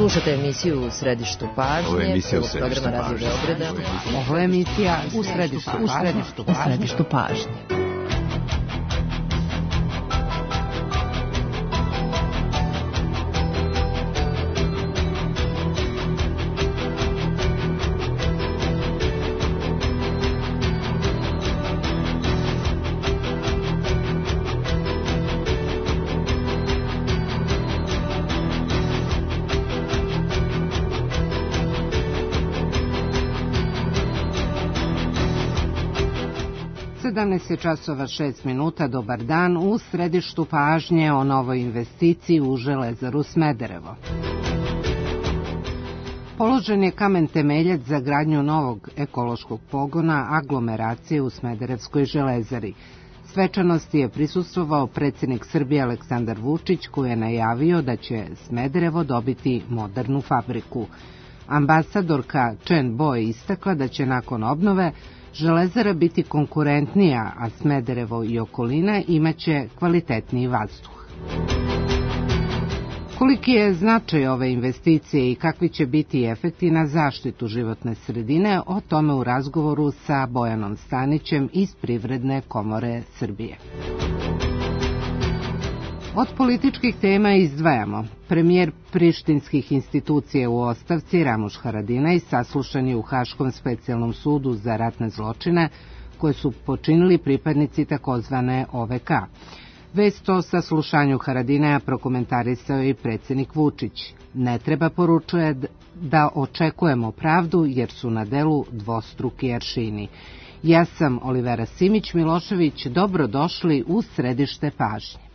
Slušate emisiju U središtu pažnje, programa Radio Beograda. Ovo je emisija U središtu pažnje. Časova 6 minuta, dobar dan, u središtu pažnje o novoj investiciji u Železaru Smederevo. Položen je kamen temeljac za gradnju novog ekološkog pogona aglomeracije u Smederevskoj železari. Svečanosti je prisustvovao predsjednik Srbije Aleksandar Vučić, koji je najavio da će Smederevo dobiti modernu fabriku. Ambasadorka Chen Bo je istakla da će nakon obnove Železara biti konkurentnija, a Smederevo i okolina imaće kvalitetniji vazduh. Koliki je značaj ove investicije i kakvi će biti efekti na zaštitu životne sredine, o tome u razgovoru sa Bojanom Stanićem iz Privredne komore Srbije. Od političkih tema izdvajamo. Premijer prištinskih institucija u ostavci Ramuš Haradinaj saslušan je u Haškom specijalnom sudu za ratne zločine koje su počinili pripadnici takozvane OVK. Vest o saslušanju Haradinaja prokomentarisao je i predsjednik Vučić. Ne treba, poručuje, da očekujemo pravdu jer su na delu dvostruki aršini. Ja sam Olivera Simić-Milošević, dobrodošli u središte pažnje.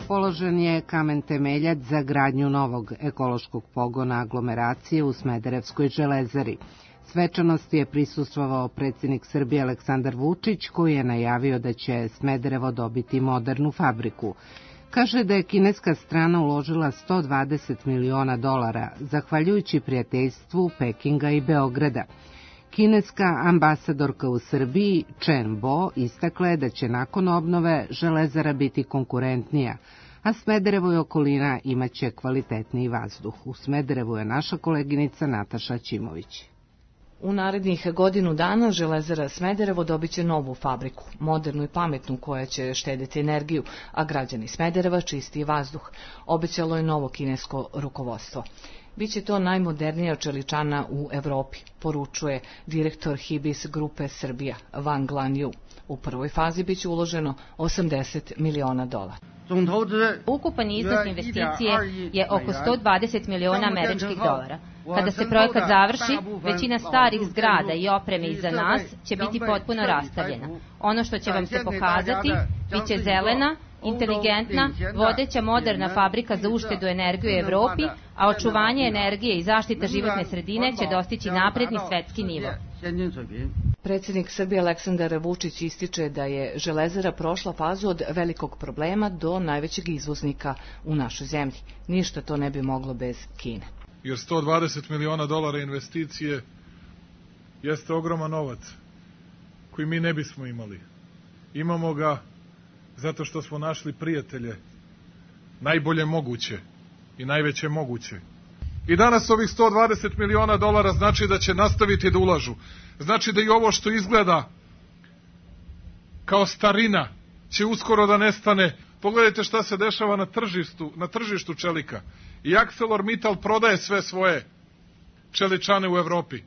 Položen je kamen temeljac za gradnju novog ekološkog pogona aglomeracije u Smederevskoj železari. Svečanosti je prisustvovao predsjednik Srbije Aleksandar Vučić, koji je najavio da će Smederevo dobiti modernu fabriku. Kaže da je kineska strana uložila $120 miliona, zahvaljujući prijateljstvu Pekinga i Beograda. Kineska ambasadorka u Srbiji Chen Bo istakla je da će nakon obnove Železara biti konkurentnija, a Smederevo i okolina imaće kvalitetniji vazduh. U Smederevu je naša koleginica Nataša Ćimović. U narednih godinu dana Železara Smederevo dobiće novu fabriku, modernu i pametnu, koja će štediti energiju, a građani Smedereva čistiji vazduh, obećalo je novo kinesko rukovodstvo. Biće to najmodernija čeličana u Evropi, poručuje direktor Hibis grupe Srbija, Wang Lanyu. U prvoj fazi biće uloženo $80 miliona. Ukupan iznos investicije je oko $120 miliona američkih dolara. Kada se projekat završi, većina starih zgrada i opreme iza nas će biti potpuno rastavljena. Ono što će vam se pokazati biće zelena, inteligentna, vodeća moderna fabrika za uštedu energije u Evropi, a očuvanje energije i zaštita životne sredine će dostići napredni svetski nivo. Predsjednik Srbije Aleksandar Vučić ističe da je Železara prošla fazu od velikog problema do najvećeg izvoznika u našoj zemlji. Ništa to ne bi moglo bez Kine. Jer $120 miliona investicije jeste ogroman novac koji mi ne bismo imali. Imamo ga zato što smo našli prijatelje, najbolje moguće i najveće moguće. I danas ovih $120 miliona znači da će nastaviti da ulažu. Znači da i ovo što izgleda kao starina će uskoro da nestane. Pogledajte šta se dešava na tržištu čelika. I ArcelorMittal prodaje sve svoje čeličane u Evropi.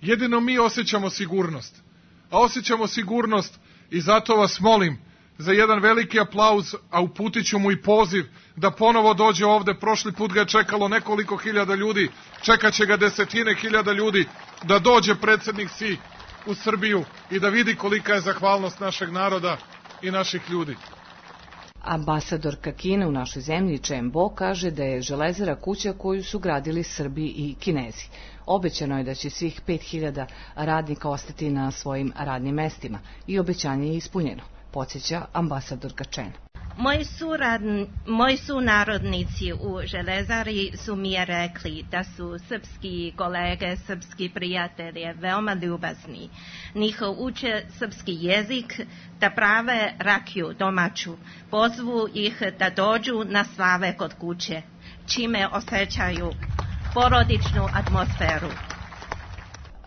Jedino mi osjećamo sigurnost. A osjećamo sigurnost i zato vas molim za jedan veliki aplauz, a uputit ću mu i poziv da ponovo dođe ovde. Prošli put ga je čekalo nekoliko hiljada ljudi, čekat će ga desetine hiljada ljudi, da dođe predsjednik Xi u Srbiju i da vidi kolika je zahvalnost našeg naroda i naših ljudi. Ambasadorka Kine u našoj zemlji Chen Bo kaže da je Železara kuća koju su gradili Srbi i Kinezi. Obećano je da će svih 5000 radnika ostati na svojim radnim mestima i obećanje je ispunjeno, podsjeća ambasadorka Chen. Moji sunarodnici u Železari su mi rekli da su srpski kolege, srpski prijatelji veoma ljubazni. Njihov uče srpski jezik, da prave rakiju domaću. Pozvu ih da dođu na slave kod kuće, čime osjećaju porodičnu atmosferu.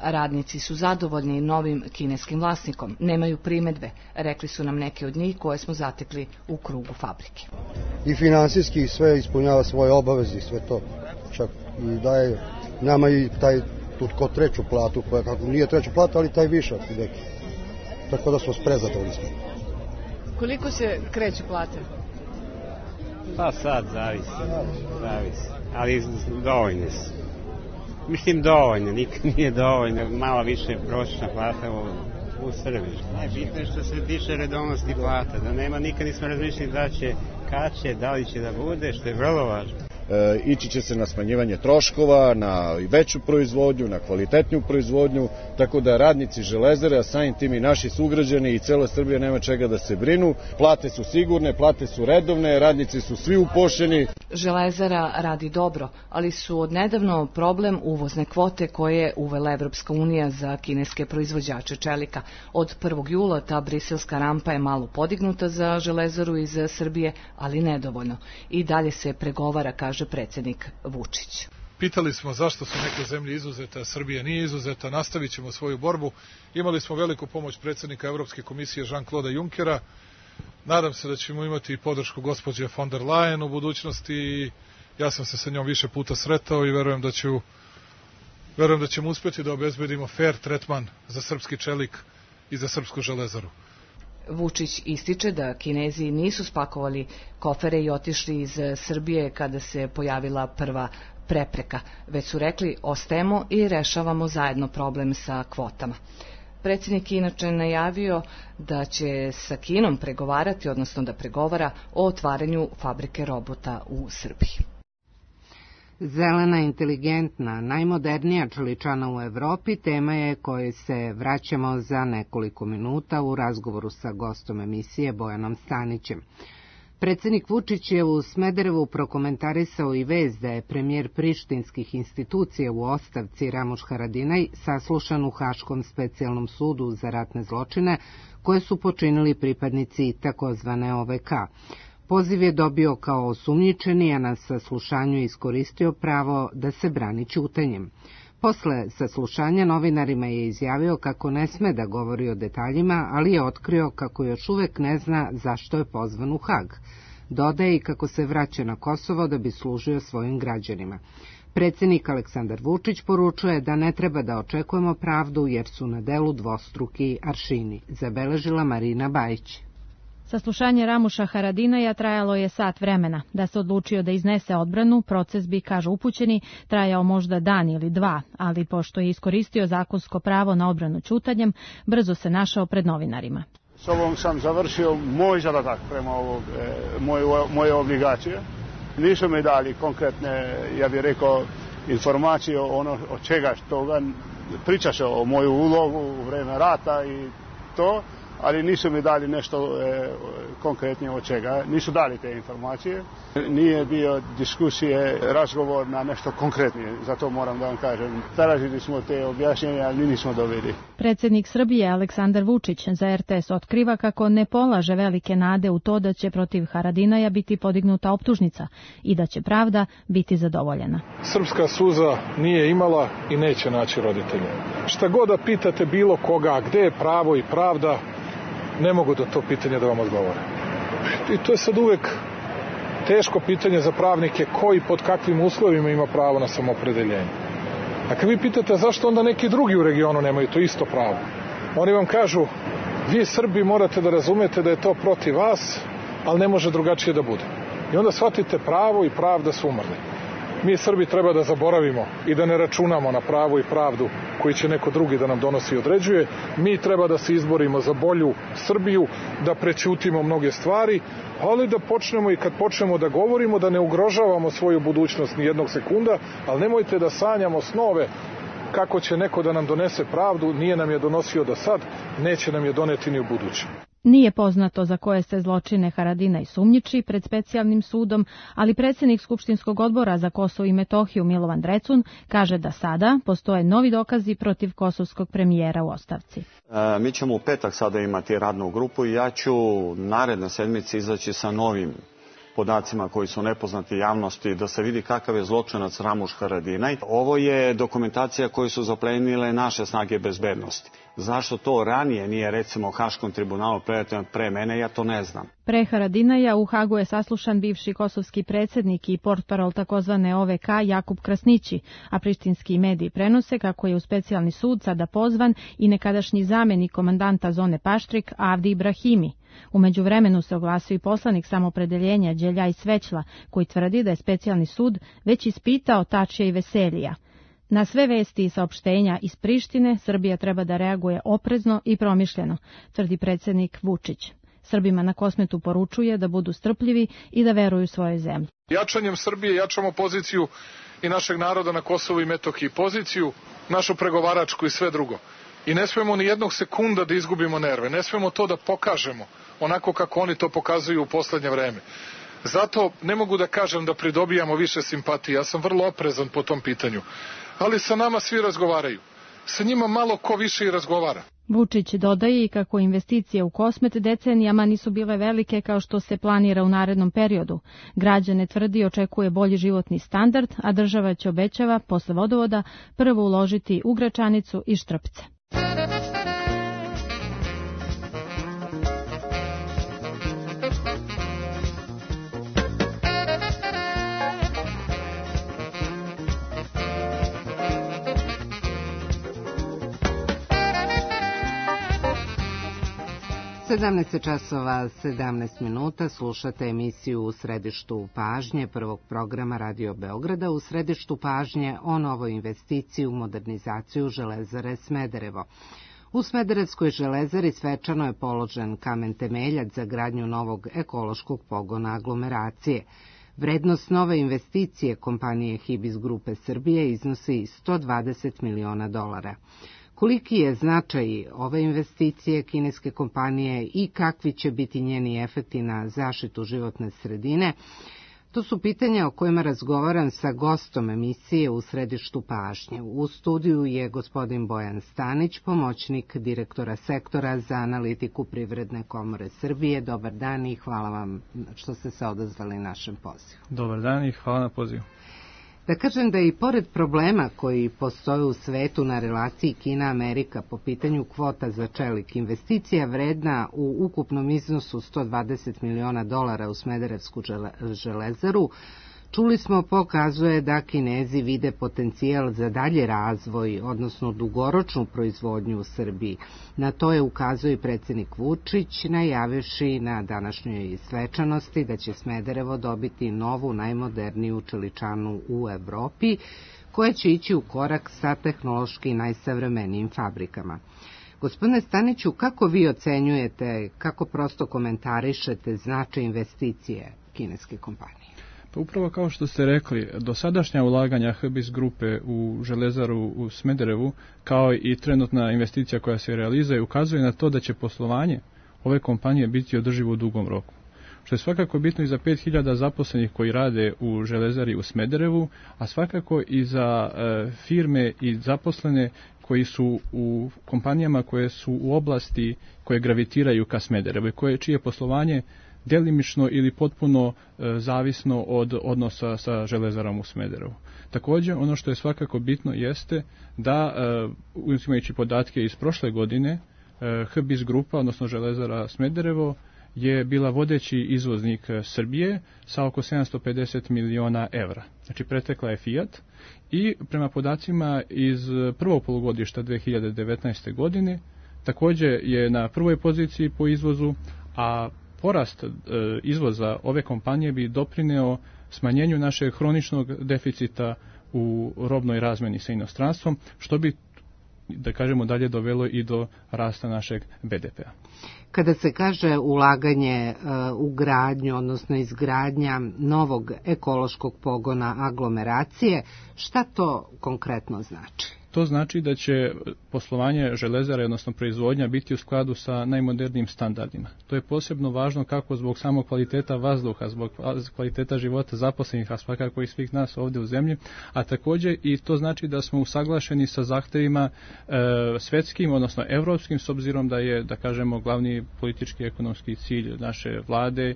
Radnici su zadovoljni novim kineskim vlasnikom, nemaju primedbe, rekli su nam neki od njih koje smo zatekli u krugu fabrike. I finansijski sve ispunjava svoje obaveze, sve to. Čak i daje nama i taj ko treću platu, koja kako nije treća plata, ali taj višak neki. Tako da smo prezadovoljni. Koliko se kreću plate? Pa sad zavisi, ali dovoljne su. Mislim dovoljno, nikad nije dovoljno, malo više prosječna plata u Srbiji. Bitno je što se tiče redovnosti plata, da nema, nikad nismo razmišljali da će, kad će, da li će da bude, što je vrlo važno. Ići će se na smanjivanje troškova, na veću proizvodnju, na kvalitetniju proizvodnju, tako da radnici Železare, a samim tim i naši sugrađani i cela Srbija nema čega da se brinu. Plate su sigurne, plate su redovne, radnici su svi upošljeni. Železara radi dobro, ali su odnedavno problem uvozne kvote koje je uvela Evropska unija za kineske proizvođače čelika. Od 1. jula ta briselska rampa je malo podignuta za Železaru iz Srbije, ali nedovoljno. I dalje se pregovara, kaže predsjednik Vučić. Pitali smo zašto su neke zemlje izuzete, a Srbija nije izuzeta, nastavit ćemo svoju borbu. Imali smo veliku pomoć predsjednika Evropske komisije Jean-Claude Junckera. Nadam se da ćemo imati i podršku gospođe von der Leyen u budućnosti i ja sam se sa njom više puta sretao i verujem da ćemo uspjeti da obezbedimo fair tretman za srpski čelik i za srpsku železaru. Vučić ističe da Kinezi nisu spakovali kofere i otišli iz Srbije kada se pojavila prva prepreka, već su rekli ostajemo i rešavamo zajedno problem sa kvotama. Predsjednik je inače najavio da će sa Kinom pregovarati, odnosno da pregovara o otvaranju fabrike robota u Srbiji. Zelena, inteligentna, najmodernija čeličana u Evropi tema je kojoj se vraćamo za nekoliko minuta u razgovoru sa gostom emisije Bojanom Stanićem. Predsjednik Vučić je u Smederevu prokomentarisao i vest da je premijer prištinskih institucija u ostavci Ramuš Haradinaj saslušan u Haškom specijalnom sudu za ratne zločine koje su počinili pripadnici takozvane OVK. Poziv je dobio kao osumnjičeni, a na saslušanju iskoristio pravo da se brani ćutanjem. Posle saslušanja novinarima je izjavio kako ne sme da govori o detaljima, ali je otkrio kako još uvek ne zna zašto je pozvan u Hag. Dodaje i kako se vraća na Kosovo da bi služio svojim građanima. Predsjednik Aleksandar Vučić poručuje da ne treba da očekujemo pravdu jer su na delu dvostruki aršini, zabeležila Marina Bajić. Saslušanje Ramuša Haradinaja trajalo je sat vremena. Da se odlučio da iznese odbranu, proces bi, kažu upućeni, trajao možda dan ili dva, ali pošto je iskoristio zakonsko pravo na odbranu ćutanjem, brzo se našao pred novinarima. S ovom sam završio moj zadatak prema moje obligacije. Nisu mi dali konkretne, ja bih rekao, informacije od čega toga. Priča se o moju ulogu u vreme rata i to, ali nisu mi dali nešto konkretnije od čega. Nisu dali te informacije. Nije bio diskusije, razgovor na nešto konkretnije. Zato moram da vam kažem. Tražili smo te objašnjenja, ali nismo dobili. Predsjednik Srbije Aleksandar Vučić za RTS otkriva kako ne polaže velike nade u to da će protiv Haradinaja biti podignuta optužnica i da će pravda biti zadovoljena. Srpska suza nije imala i neće naći roditelje. Šta god da pitate bilo koga, gde je pravo i pravda, ne mogu do to pitanje da vam odgovore. I to je sad uvek teško pitanje za pravnike koji pod kakvim uslovima ima pravo na samoopredeljenje. A kad vi pitate zašto onda neki drugi u regionu nemaju to isto pravo, oni vam kažu vi Srbi morate da razumete da je to protiv vas, ali ne može drugačije da bude. I onda shvatite pravo i pravda su umrli. Mi Srbi treba da zaboravimo i da ne računamo na pravo i pravdu koji će neko drugi da nam donosi i određuje. Mi treba da se izborimo za bolju Srbiju, da prećutimo mnoge stvari, ali da počnemo i kad počnemo da govorimo da ne ugrožavamo svoju budućnost ni jednog sekunda, ali nemojte da sanjamo snove kako će neko da nam donese pravdu, nije nam je donosio do sad, neće nam je doneti ni u buduće. Nije poznato za koje se zločine Haradinaj sumnjiči pred specijalnim sudom, ali predsjednik Skupštinskog odbora za Kosovo i Metohiju Milovan Drecun kaže da sada postoje novi dokazi protiv kosovskog premijera u ostavci. Mi ćemo u petak sada imati radnu grupu i ja ću naredne sedmice izaći sa novim podacima koji su nepoznati javnosti, da se vidi kakav je zločinac Ramuš Haradinaj. Ovo je dokumentacija koju su zaplenile naše snage bezbednosti. Zašto to ranije nije, recimo, Haškom tribunalu pre mene, ja to ne znam. Pre Haradinaja u Hagu je saslušan bivši kosovski predsjednik i portparol takozvane OVK Jakub Krasnići, a prištinski mediji prenose kako je u specijalni sud sada pozvan i nekadašnji zamenik komandanta zone Paštrik Avdi Ibrahimi. U međuvremenu se oglasio i poslanik Samopredeljenja Đeljaj Svećla, koji tvrdi da je specijalni sud već ispitao Tačija i Veselija. Na sve vesti i saopštenja iz Prištine Srbija treba da reaguje oprezno i promišljeno, tvrdi predsjednik Vučić. Srbima na Kosmetu poručuje da budu strpljivi i da veruju svojoj zemlji. Jačanjem Srbije jačamo poziciju i našeg naroda na Kosovu i Metohiji, poziciju našu pregovaračku i sve drugo. I ne smemo ni jednog sekunda da izgubimo nerve, ne smemo to da pokažemo onako kako oni to pokazuju u poslednje vreme. Zato ne mogu da kažem da pridobijamo više simpatije, ja sam vrlo oprezan po tom pitanju. Ali sa nama svi razgovaraju. Sa njima malo ko više i razgovara. Vučić dodaje i kako investicije u Kosmet decenijama nisu bile velike kao što se planira u narednom periodu. Građane tvrdi očekuje bolji životni standard, a država će, obećava, posle vodovoda prvo uložiti u Gračanicu i Štrpce. časova 17 minuta, slušate emisiju U središtu pažnje prvog programa Radio Beograda. U središtu pažnje o novoj investiciji u modernizaciju železare Smederevo. U Smederevskoj železari svečano je položen kamen temeljac za gradnju novog ekološkog pogona aglomeracije. Vrednost nove investicije kompanije Hibis Grupe Srbije iznosi $120 miliona. Koliki je značaj ove investicije kineske kompanije i kakvi će biti njeni efekti na zaštitu životne sredine? To su pitanja o kojima razgovaram sa gostom emisije U središtu pažnje. U studiju je gospodin Bojan Stanić, pomoćnik direktora sektora za analitiku Privredne komore Srbije. Dobar dan i hvala vam što ste se odazvali našem pozivu. Dobar dan i hvala na pozivu. Da kažem da i pored problema koji postoje u svetu na relaciji Kina-Amerika po pitanju kvota za čelik, investicija vredna u ukupnom iznosu $120 miliona u Smederevsku železaru, čuli smo, pokazuje da Kinezi vide potencijal za dalje razvoj, odnosno dugoročnu proizvodnju u Srbiji. Na to je ukazao i predsjednik Vučić, najavivši na današnjoj svečanosti da će Smederevo dobiti novu, najmoderniju čeličanu u Evropi, koja će ići u korak sa tehnološki najsavremenijim fabrikama. Gospodine Staniću, kako vi ocenjujete, kako prosto komentarišete značaj investicije kineske kompanije? Pa upravo kao što ste rekli, dosadašnja ulaganja Hibis grupe u železaru u Smederevu, kao i trenutna investicija koja se realizuje, ukazuje na to da će poslovanje ove kompanije biti održivo u dugom roku. Što je svakako bitno i za 5000 zaposlenih koji rade u železari u Smederevu, a svakako i za firme i zaposlene koji su u kompanijama koje su u oblasti koje gravitiraju ka Smederevu i čije poslovanje delimično ili potpuno zavisno od odnosa sa železarom u Smederevu. Također, ono što je svakako bitno jeste da, uzimajući podatke iz prošle godine, Hibis grupa, odnosno železara Smederevo, je bila vodeći izvoznik Srbije sa oko 750 miliona evra. Znači, pretekla je Fiat i prema podacima iz prvog polugodišta 2019. godine također je na prvoj poziciji po izvozu, a porast izvoza ove kompanije bi doprineo smanjenju našeg hroničnog deficita u robnoj razmeni sa inostranstvom, što bi, da kažemo, dalje dovelo i do rasta našeg BDP-a. Kada se kaže ulaganje u gradnju, odnosno izgradnja novog ekološkog pogona aglomeracije, šta to konkretno znači? To znači da će poslovanje železare, odnosno proizvodnja, biti u skladu sa najmodernijim standardima. To je posebno važno kako zbog samog kvaliteta vazduha, zbog kvaliteta života zaposlenih, a svakako i svih nas ovdje u zemlji, a također i to znači da smo usaglašeni sa zahtevima svetskim, odnosno evropskim, s obzirom da je, da kažemo, glavni politički i ekonomski cilj naše vlade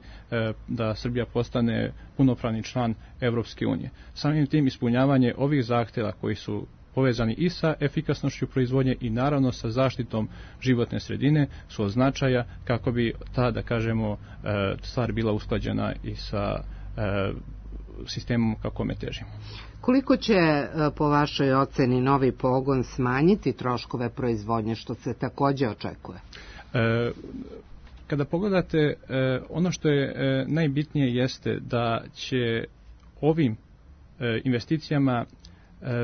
da Srbija postane punopravni član Evropske unije. Samim tim ispunjavanje ovih zahteva koji su povezani i sa efikasnošću proizvodnje i naravno sa zaštitom životne sredine su od značaja kako bi ta, da kažemo, stvar bila usklađena i sa sistemom kako me težimo. Koliko će po vašoj oceni novi pogon smanjiti troškove proizvodnje, što se također očekuje? Kada pogledate, ono što je najbitnije jeste da će ovim investicijama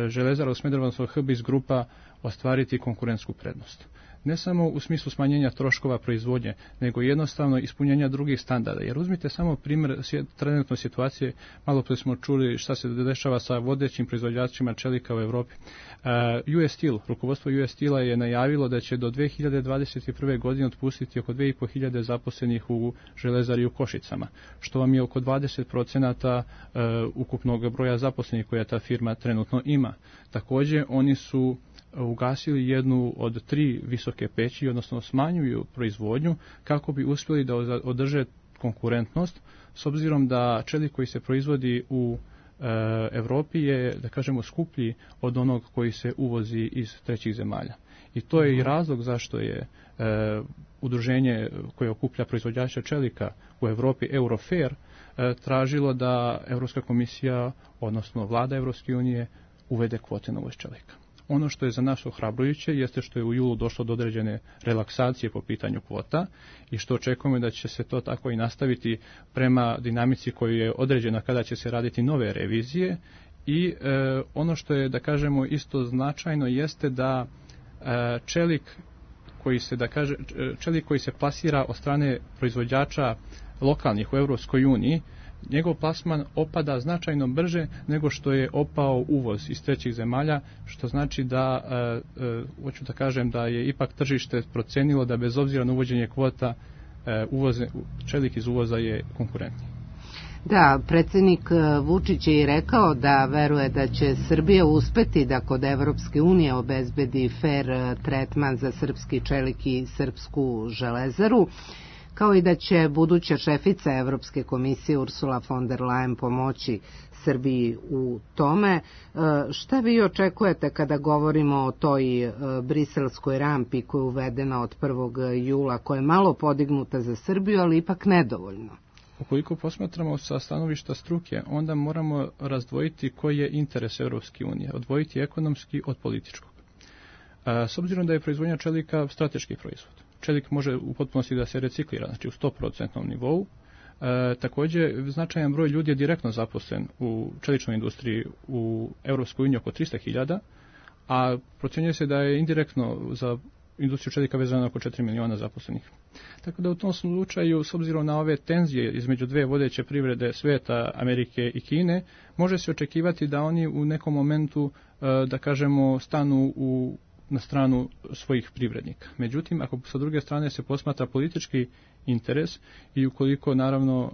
Železara u Smederevu, odnosno HBIS grupa, ostvariti konkurentsku prednost. Ne samo u smislu smanjenja troškova proizvodnje, nego jednostavno ispunjenja drugih standarda. Jer uzmite samo primjer trenutne situacije, malo prije smo čuli šta se dešava sa vodećim proizvođačima čelika u Evropi. US Steel, rukovodstvo US Steela je najavilo da će do 2021. godine otpustiti oko 2500 zaposlenih u železari u Košicama, što vam je oko 20% ukupnog broja zaposlenih koja ta firma trenutno ima. Također, oni su ugasili jednu od 3 visoke peći, odnosno smanjuju proizvodnju kako bi uspjeli da održe konkurentnost, s obzirom da čelik koji se proizvodi u Evropi je, da kažemo, skuplji od onog koji se uvozi iz trećih zemalja. I to je i razlog zašto je udruženje koje okuplja proizvođača čelika u Evropi, Eurofair, tražilo da Europska komisija, odnosno vlada Evropske unije, uvede kvote na uvoz čelika. Ono što je za nas ohrabrujuće jeste što je u julu došlo do određene relaksacije po pitanju kvota i što očekujemo da će se to tako i nastaviti prema dinamici koju je određena kada će se raditi nove revizije i ono što je, da kažemo, isto značajno jeste da čelik koji se plasira od strane proizvođača lokalnih u Europskoj uniji, njegov plasman opada značajno brže nego što je opao uvoz iz trećih zemalja, što znači da, hoću da kažem da je ipak tržište procenilo da bez obzira na uvođenje kvota čelik iz uvoza je konkurentniji. Da, predsjednik Vučić je i rekao da veruje da će Srbija uspeti da kod Evropske unije obezbedi fer tretman za srpski čelik i srpsku železaru, kao i da će buduća šefica Evropske komisije Ursula von der Leyen pomoći Srbiji u tome. Šta vi očekujete kada govorimo o toj briselskoj rampi koja je uvedena od 1. jula, koja je malo podignuta za Srbiju, ali ipak nedovoljno? Ukoliko posmatramo sa stanovišta struke, onda moramo razdvojiti koji je interes Evropske unije, odvojiti ekonomski od političkog. S obzirom da je proizvodnja čelika strateški proizvod, čelik može u potpunosti da se reciklira, znači u 100% nivou. Također, značajan broj ljudi je direktno zaposlen u čeličnoj industriji u Evropskoj uniji, oko 300.000, a procjenjuje se da je indirektno za industriju čelika vezano oko 4 miliona zaposlenih. Tako da u tom slučaju, s obzirom na ove tenzije između dve vodeće privrede svijeta, Amerike i Kine, može se očekivati da oni u nekom momentu, da kažemo, stanu na stranu svojih privrednika. Međutim, ako sa druge strane se posmatra politički interes i ukoliko naravno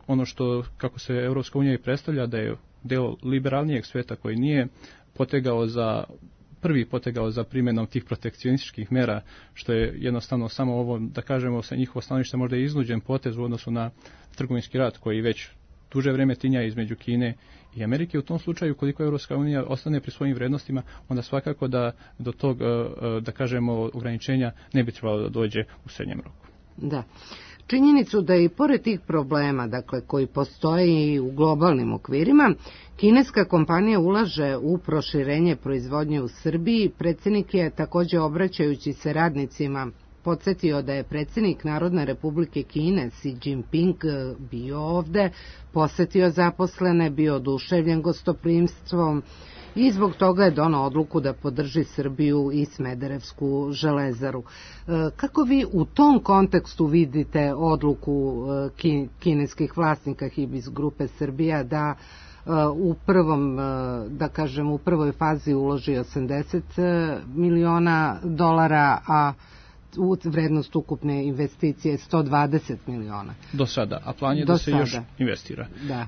ono što, kako se Evropska unija i predstavlja, da je deo liberalnijeg sveta koji nije prvi potegao za primjenom tih protekcionističkih mera, što je jednostavno samo ovo, da kažemo, sa njihovo stanovište možda je iznuđen potez u odnosu na trgovinski rat koji već duže vreme tinja između Kine i Amerike. U tom slučaju, koliko Evropska unija ostane pri svojim vrednostima, onda svakako da do tog, da kažemo, ograničenja ne bi trebalo da dođe u srednjem roku. Da. Činjenicu da i pored tih problema, dakle, koji postoje i u globalnim okvirima, kineska kompanija ulaže u proširenje proizvodnje u Srbiji. Predsjednik je također, obraćajući se radnicima, podsjetio da je predsjednik Narodne Republike Kine Xi Jinping bio ovde, posetio zaposlene, bio oduševljen gostoprimstvom i zbog toga je donao odluku da podrži Srbiju i Smederevsku železaru. Kako vi u tom kontekstu vidite odluku kineskih vlasnika HBIS grupe Srbija da u prvom, da kažem, u prvoj fazi uloži 80 miliona dolara, a vrednost ukupne investicije 120 miliona. Do sada, a plan je da se još investira. Da.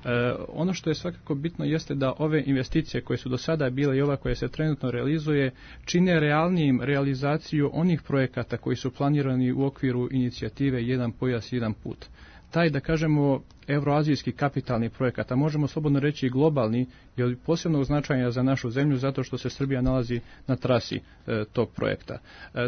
Ono što je svakako bitno jeste da ove investicije koje su do sada bile i ova koja se trenutno realizuje čine realnijim realizaciju onih projekata koji su planirani u okviru inicijative Jedan pojas, jedan put. Taj, da kažemo, evroazijski kapitalni projekat, a možemo slobodno reći i globalni, je od posebnog značaja za našu zemlju zato što se Srbija nalazi na trasi tog projekta.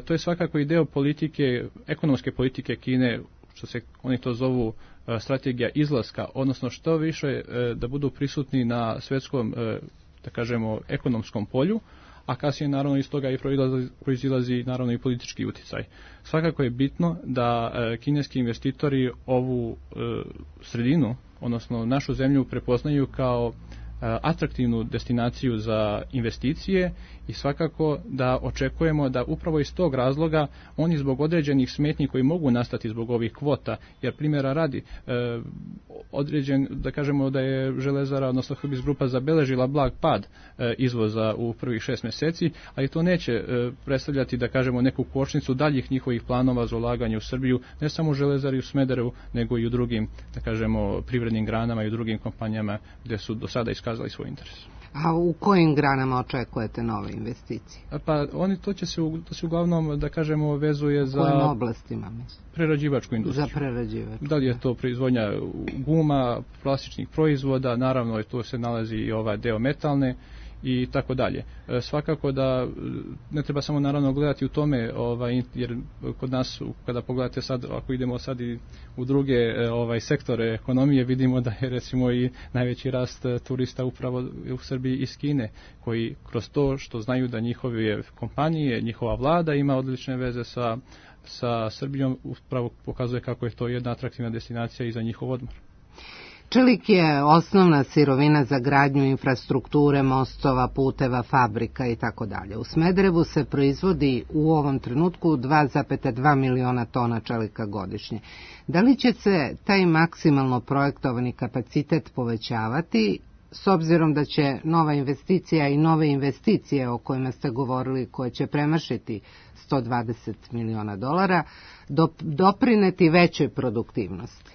To je svakako i deo politike, ekonomske politike Kine, što se oni to zovu strategija izlaska, odnosno što više da budu prisutni na svetskom, da kažemo, ekonomskom polju, a kasnije naravno iz toga i proizilazi naravno i politički uticaj. Svakako je bitno da kineski investitori ovu sredinu, odnosno našu zemlju, prepoznaju kao atraktivnu destinaciju za investicije i svakako da očekujemo da upravo iz tog razloga oni zbog određenih smetnji koji mogu nastati zbog ovih kvota, jer primjera radi određen, da kažemo da je Železara, odnosno Hbis grupa zabeležila blag pad izvoza u prvih 6 mjeseci, ali to neće predstavljati, da kažemo, neku kočnicu daljih njihovih planova za ulaganje u Srbiju, ne samo u Železari u Smederevu, nego i u drugim, da kažemo, privrednim granama i u drugim kompanijama gdje su do sada iskazali svoj interes. A u kojim granama očekujete nove investicije? Pa to se uglavnom, da kažemo, vezuje za... U kojim oblastima, mislim? Prerađivačku industriju. Za prerađivačku. Da li je to proizvodnja guma, plastičnih proizvoda, naravno tu se nalazi i ovaj deo metalne i tako dalje. Svakako da ne treba samo naravno gledati u tome, jer kod nas kada pogledate sad, ako idemo sad i u druge sektore ekonomije, vidimo da je recimo i najveći rast turista upravo u Srbiji iz Kine, koji kroz to što znaju da njihove kompanije, njihova vlada ima odlične veze sa Srbijom, upravo pokazuje kako je to jedna atraktivna destinacija i za njihov odmor. Čelik je osnovna sirovina za gradnju infrastrukture, mostova, puteva, fabrika i tako dalje. U Smederevu se proizvodi u ovom trenutku 2,2 miliona tona čelika godišnje. Da li će se taj maksimalno projektovani kapacitet povećavati, s obzirom da će nova investicija i nove investicije o kojima ste govorili, koje će premašiti 120 miliona dolara, doprineti većoj produktivnosti?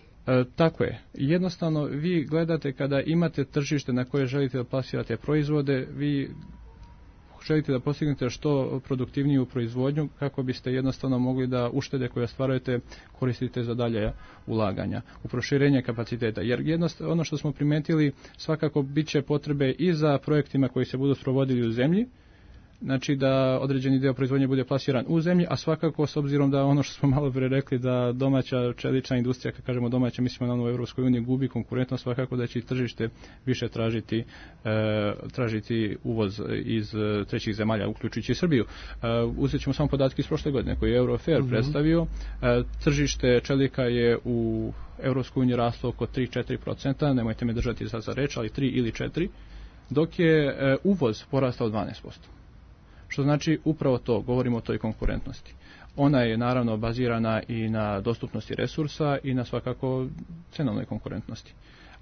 Tako je. Jednostavno, vi gledate kada imate tržište na koje želite da plasirate proizvode, vi želite da postignete što produktivniju proizvodnju kako biste jednostavno mogli da uštede koje ostvarujete koristite za dalje ulaganja u proširenje kapaciteta. Jer ono što smo primetili, svakako bit će potrebe i za projektima koji se budu sprovodili u zemlji, znači da određeni deo proizvodnje bude plasiran u zemlji, a svakako s obzirom da ono što smo malo pre rekli da domaća čelična industrija, kad kažemo domaća, mislimo na ono u Evropskoj uniji, gubi konkurentnost, svakako da će i tržište više tražiti uvoz iz trećih zemalja, uključujući i Srbiju. Uzet ćemo samo podatke iz prošle godine koje je Eurofair predstavio. Tržište čelika je u Evropskoj uniji raslo oko 3-4%, nemojte me držati za reč, ali 3 ili 4%, dok je uvoz porastao 12%. Što znači upravo to, govorimo o toj konkurentnosti. Ona je naravno bazirana i na dostupnosti resursa i na svakako cenovnoj konkurentnosti.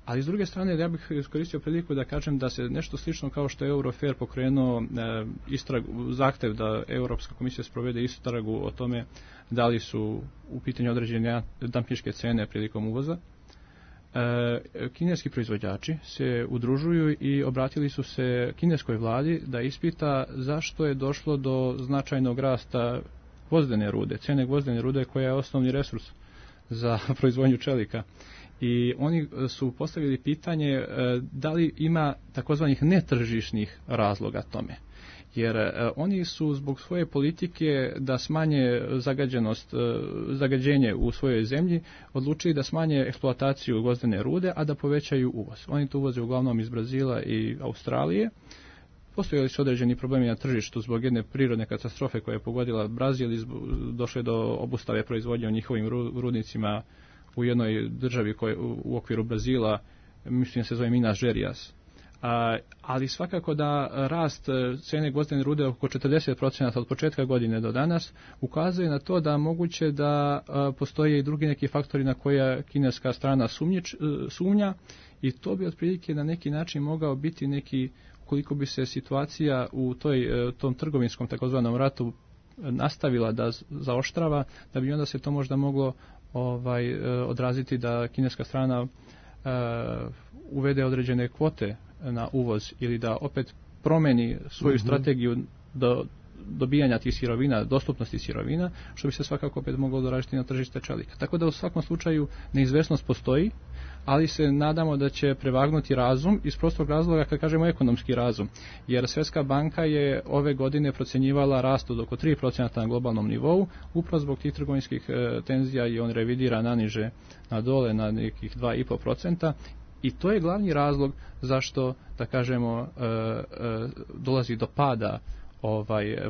Ali s druge strane, ja bih iskoristio priliku da kažem da se nešto slično kao što je Eurofair pokrenuo zahtev da Europska komisija sprovede istragu o tome da li su u pitanju određene dampinške cene prilikom uvoza. Kineski proizvođači se udružuju i obratili su se kineskoj vladi da ispita zašto je došlo do značajnog rasta gvozdene rude, cene gvozdene rude koja je osnovni resurs za proizvodnju čelika. I oni su postavili pitanje da li ima takozvanih netržišnih razloga tome. Jer oni su zbog svoje politike da smanje zagađenje u svojoj zemlji odlučili da smanje eksploataciju gvozdene rude, a da povećaju uvoz. Oni to uvoze uglavnom iz Brazila i Australije. Postojali su određeni problemi na tržištu zbog jedne prirodne katastrofe koja je pogodila Brazil i došlo je do obustave proizvodnje u njihovim rudnicima u jednoj državi u okviru Brazila, mislim se zove Minas Gerais. Ali svakako da rast cene gvozdene rude oko 40% od početka godine do danas ukazuje na to da moguće da postoje i drugi neki faktori na koja kineska strana sumnja i to bi otprilike na neki način mogao biti neki, koliko bi se situacija u tom trgovinskom takozvanom ratu nastavila da zaoštrava, da bi onda se to možda moglo odraziti da kineska strana uvede određene kvote na uvoz ili da opet promeni svoju strategiju do dobijanja tih sirovina, dostupnosti sirovina, što bi se svakako opet moglo doražiti na tržište čelika. Tako da u svakom slučaju neizvesnost postoji, ali se nadamo da će prevagnuti razum iz prostog razloga kad kažemo ekonomski razum. Jer Svjetska banka je ove godine procjenjivala rast od oko 3% na globalnom nivou, upravo zbog tih trgovinskih tenzija i on revidira naniže na dole na nekih 2,5%. I to je glavni razlog zašto, da kažemo, dolazi do pada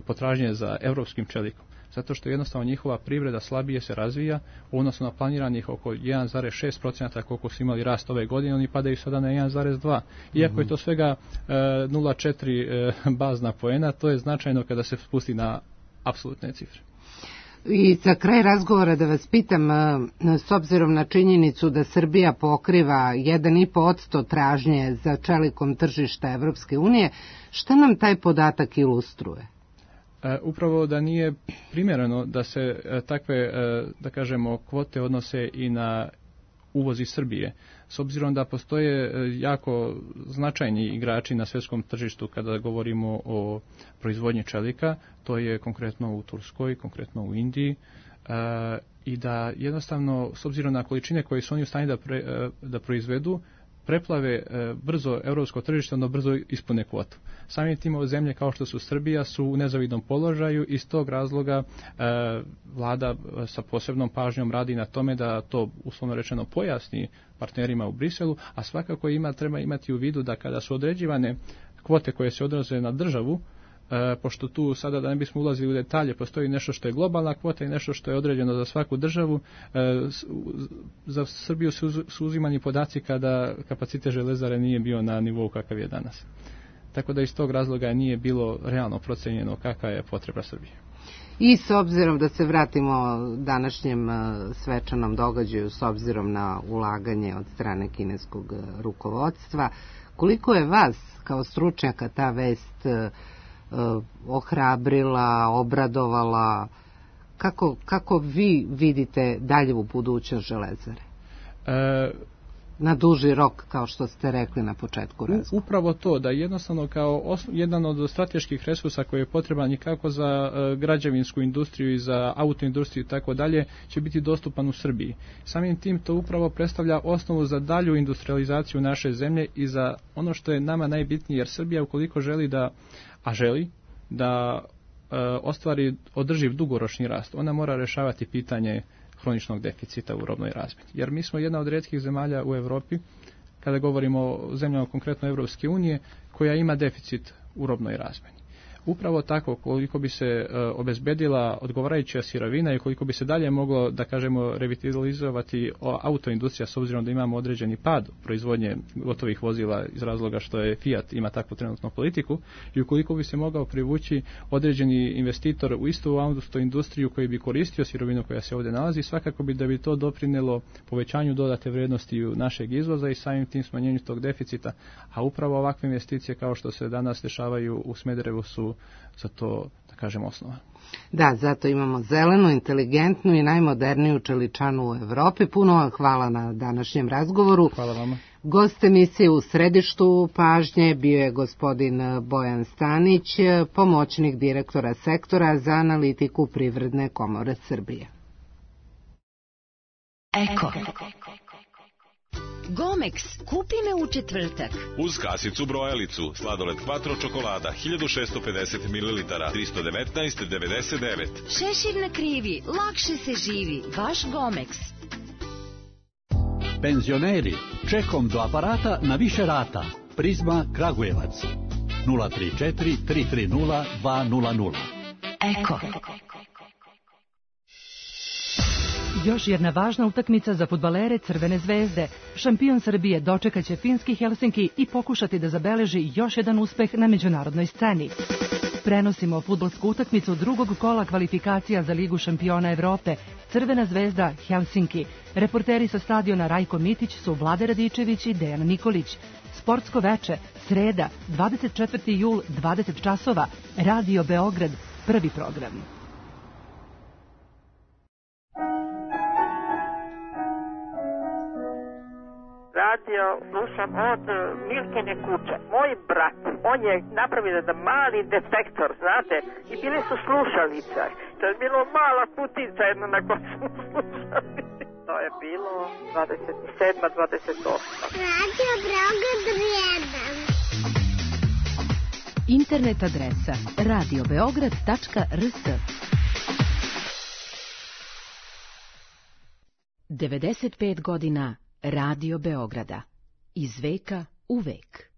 potražnje za evropskim čelikom. Zato što jednostavno njihova privreda slabije se razvija u odnosu na planiranih oko 1,6% koliko su imali rast ove godine, oni padaju sada na 1,2%. Iako je to svega 0,4 bazna poena, to je značajno kada se spusti na apsolutne cifre. I za kraj razgovora da vas pitam, s obzirom na činjenicu da Srbija pokriva 1,5% tražnje za čelikom tržišta Evropske unije, šta nam taj podatak ilustruje? Upravo da nije primjereno da se takve, da kažemo, kvote odnose i na uvoz iz Srbije. S obzirom da postoje jako značajni igrači na svjetskom tržištu kada govorimo o proizvodnji čelika, to je konkretno u Turskoj, konkretno u Indiji, i da jednostavno, s obzirom na količine koje su oni u stanju da proizvedu, preplave brzo europsko tržište, ono brzo ispune kvotu. Samim tim ove zemlje kao što su Srbija su u nezavidnom položaju i iz tog razloga vlada sa posebnom pažnjom radi na tome da to uslovno rečeno pojasni partnerima u Briselu, a svakako treba imati u vidu da kada su određivane kvote koje se odnose na državu, pošto tu sada da ne bismo ulazili u detalje, postoji nešto što je globalna kvota i nešto što je određeno za svaku državu. Za Srbiju su uzimani podaci kada kapacitet železare nije bio na nivou kakav je danas. Tako da iz tog razloga nije bilo realno procenjeno kakva je potreba Srbije. I s obzirom da se vratimo današnjem svečanom događaju, s obzirom na ulaganje od strane kineskog rukovodstva, koliko je vas kao stručnjaka ta vest ohrabrila, obradovala, kako vi vidite dalje u budućnost železare? Na duži rok, kao što ste rekli na početku razgovora. Upravo to, da jednostavno kao jedan od strateških resursa koji je potreban i kako za građevinsku industriju i za autoindustriju i tako dalje, će biti dostupan u Srbiji. Samim tim to upravo predstavlja osnovu za dalju industrializaciju naše zemlje i za ono što je nama najbitnije, jer Srbija ukoliko želi da ostvari održiv dugoročni rast, ona mora rješavati pitanje hroničnog deficita u robnoj razmjeni. Jer mi smo jedna od rijetkih zemalja u Europi, kada govorimo o zemljama konkretno Evropske unije, koja ima deficit u robnoj razmjeni. Upravo tako, koliko bi se obezbedila odgovarajuća sirovina i koliko bi se dalje moglo, da kažemo, revitalizovati autoindustrija, s obzirom da imamo određeni pad proizvodnje gotovih vozila iz razloga što je Fiat ima takvu trenutnu politiku, i ukoliko bi se mogao privući određeni investitor u istu autoindustriju koji bi koristio sirovinu koja se ovdje nalazi, svakako bi da bi to doprinelo povećanju dodate vrijednosti našeg izvoza i samim tim smanjenju tog deficita, a upravo ovakve investicije kao što se danas dešavaju u Smederevu su za to, da kažem, osnova. Da, zato imamo zelenu, inteligentnu i najmoderniju čeličanu u Evropi. Puno vam hvala na današnjem razgovoru. Hvala vama. Gost emisije u središtu pažnje bio je gospodin Bojan Stanić, pomoćnik direktora sektora za analitiku Privredne komore Srbije. Eko. Gomex, kupi me u četvrtak. Uz kasicu brojalicu, sladoled Quattro čokolada, 1650 ml, 319,99. Šešir na krivi, lakše se živi, vaš Gomex. Penzioneri, čekom do aparata na više rata. Prizma Kragujevac, 034 330 200. Eko. Još jedna važna utakmica za fudbalere Crvene zvezde. Šampion Srbije dočekaće finski Helsinki i pokušati da zabeleži još jedan uspeh na međunarodnoj sceni. Prenosimo fudbalsku utakmicu drugog kola kvalifikacija za Ligu šampiona Evrope. Crvena zvezda Helsinki. Reporteri sa stadiona Rajko Mitić su Vlade Radičević i Dejan Nikolić. Sportsko veče, sreda, 24. jul, 20 časova. Radio Beograd, prvi program. Radio slušam od Milkine kuće. Moj brat, on je napravio jedan mali detektor, znate, i bile su slušalice. To je bilo mala kutica jedna na kojoj smo slušali. To je bilo 27. 28. Radio Beograd 1. Internet adresa radiobeograd.rs 95 godina Radio Beograda. Iz veka u vek.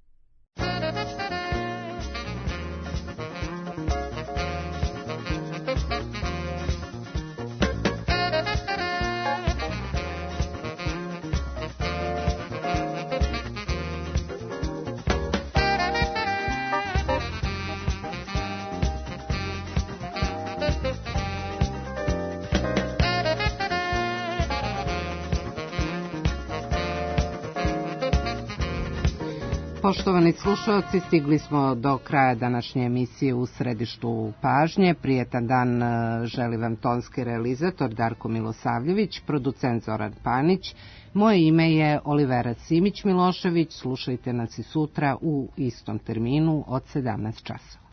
Poštovani slušalci, stigli smo do kraja današnje emisije U središtu pažnje. Prijetan dan želi vam tonski realizator Darko Milosavljević, producent Zoran Panić. Moje ime je Olivera Simić Milošević. Slušajte nas i sutra u istom terminu od 17 časova.